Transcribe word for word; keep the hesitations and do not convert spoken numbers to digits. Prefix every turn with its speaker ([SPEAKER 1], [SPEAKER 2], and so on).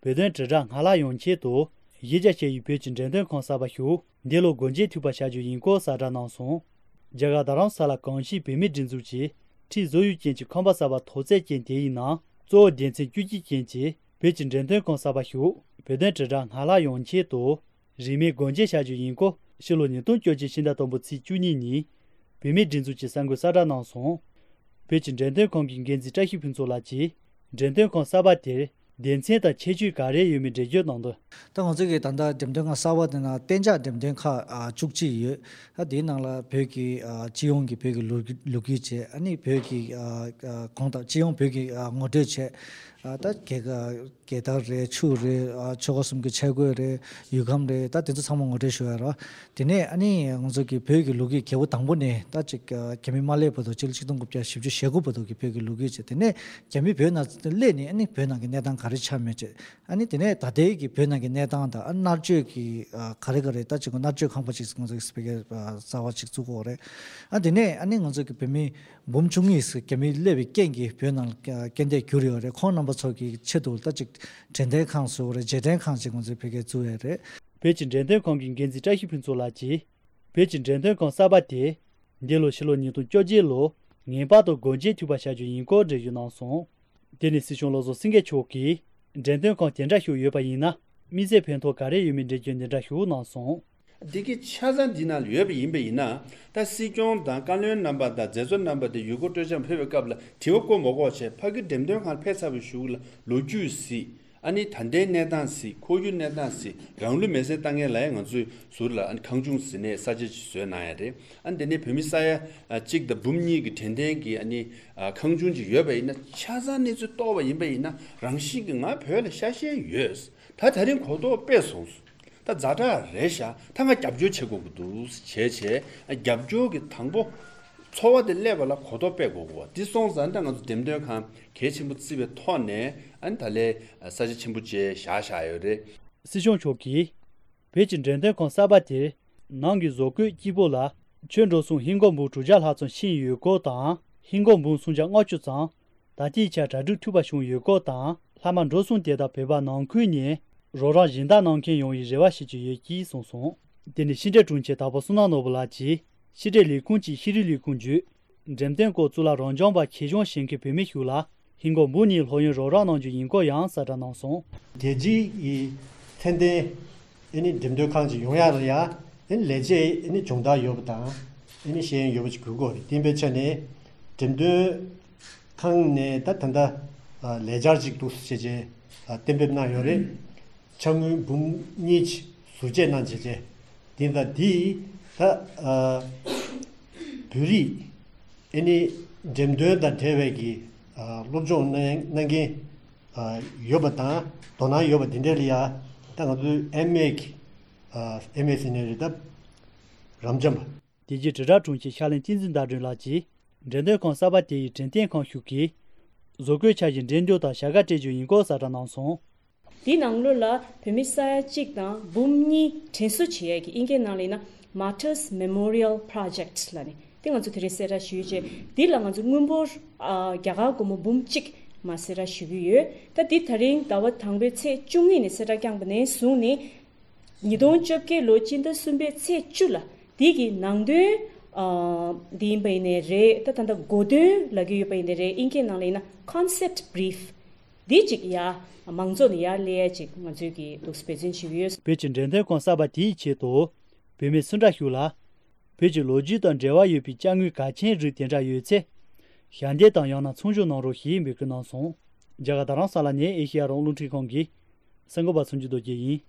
[SPEAKER 1] Bedon Zhang Hala Yongqie Do, Yeja Che Yu Pechin Zhendon Kong Saba Hu, Delo Gonje Tupa Shaju Yinko Sada Nansong, Jagadaran Sala Kangshi Pemi Jinzuchi, Ti Zoyu Jianchi Kamba Saba Toze Jian Die Yinang, Zo Dianzi Juji Jianchi, Pechin Zhendon Kong Saba Hu, Bedon Zhang Hala Yongqie Do, Rime Gonje Shaju Yinko, Shilo Nidong Joji Shinda Tombo Tsi Juni Ni, Pemi Jinzuchi Sango Sada Nansong, Pechin Zhendon Kong Genzi Chahi Pinzo Lachi, Zhendon Kong Saba Tir, 电线的切取价咧有没这就弄的？
[SPEAKER 2] 当我这个当到点点个沙瓦的那电价点点卡啊，足迹有，他电能了，比如个啊，基用个比如个路路基车，安尼比如个啊啊，讲到基用比如个啊，我这车。啊，但这个给到嘞，处嘞啊，超过什么个车过嘞，有空嘞，但这次他们我这说了，今年安尼我这个比如个路基给我当不呢，但这个前面马来不多，就是启动个比较实际效果不多，个比如个路基这，今年前面比如那来年安尼比如那个那当开始参与这，安尼今年大地个比如那个那当的，安那这个啊开始个嘞，但这个那这康不是我这个是比个啊沙瓦去做过嘞，啊今年安尼我这个比面몸중에서 개미 레비 깽기 변한 견대 교류를 코너버 저기 체도 따직 전대 강수를 제대 강식은 베게 주야래
[SPEAKER 1] 베진 전대 강긴 견지 자히 핀솔라지 베진 전대 강 사바티 딜로 실로니도 쪼지로 녜바도 고지 투바샤주 인고 제유나송 데니시숑로조 싱게 초기 전대 강 견자 효여바이나 미제 편토 가레 유민제 견자 효나송
[SPEAKER 3] Diki chazan dinal yuebi imbe ina, ta sikyon dan kanlyon namba da zezon namba de yugo tojan pepe kabla tiwoko mogo che pagi demdem khan pesabu shugla loju si ani tande nedan si koyu nedan si ranglu mese tange la nganzu surla an kangjung si ne saje chue na ya de an de ne pemisaya chik da bumni gi tende gi ani kangjung ji yuebi ina chazan ne zu toba imbe ina rangshi gi nga phele shashe yues ta darin kodo pesong 다 자다 레샤 당가 잡주 최고부도 제제 잡주기 당보 초와들 레벨라 고도 빼고고 디송산당은 뎀데칸 개침부 집에 토네 안달레 사지 침부제 샤샤요레
[SPEAKER 1] 시종 초기 베진전대 콘사바티 난기 조그 기보라 전조송 흰고무 주자하촌 신유고당 흰고무 송장 어주장 다지차 자주 투바숑 유고당 라만 조송 대다 배바 난퀴니 로라 진다 난킨 용이 제와시지 예기 송송 데니 신제 중체 다보스나 노블라지 시제리 군지 히리리 군주 잼덴고 줄라 런정바 키종 신케 베미휴라 흰고 무니 호연 로라 난주 인고 양사다 난송
[SPEAKER 4] 대지 이 텐데 이니 demdo 칸지 용야야 인 레제 이니 종다 요부다 이니 시행 요부지 그거 딘베천에 demdo 칸네 따탄다 레자직 도스제제 덴베나 요레 정의 분니치 수제난 제제 딘다 디다 뷰리 애니 잼도다 대외기 로종 난게 요바다 도나 요바 딘델리아 당도 엠메기 엠에스네르다 람잠
[SPEAKER 1] 디지트라 중치 샬린 진진다르라지 렌데 콘사바티 젠텐 콘슈키 조괴 차진 렌도다 샤가 제주 인고 사다난송
[SPEAKER 5] di nanglo la pemisaya chikna bumni tensu chiye ki inge nalina Martyrs Memorial Project lani tinga zu tresera shuje di la nganzu ngumbor gyaga gomo bumchik masera shuye ta di tharing dawat thangbe che chungni ne sera kyang bne suni nidon chopke lochin da sumbe che chula di gi nangde di beine re ta tanda gode lagi beine re inge nalina concept brief di chik ya 망존이야 레지 맞으기 도스페진 치위스
[SPEAKER 1] 베진전대 콘사바티 체도 베메 순라휴라 베지 로지던 제와 유비 장위 가친 리텐자 유체 현대 당양나 총조노로 힘이 그나송 자가다랑 살라니 에히아롱 루티 공기 생고바 순지도 제이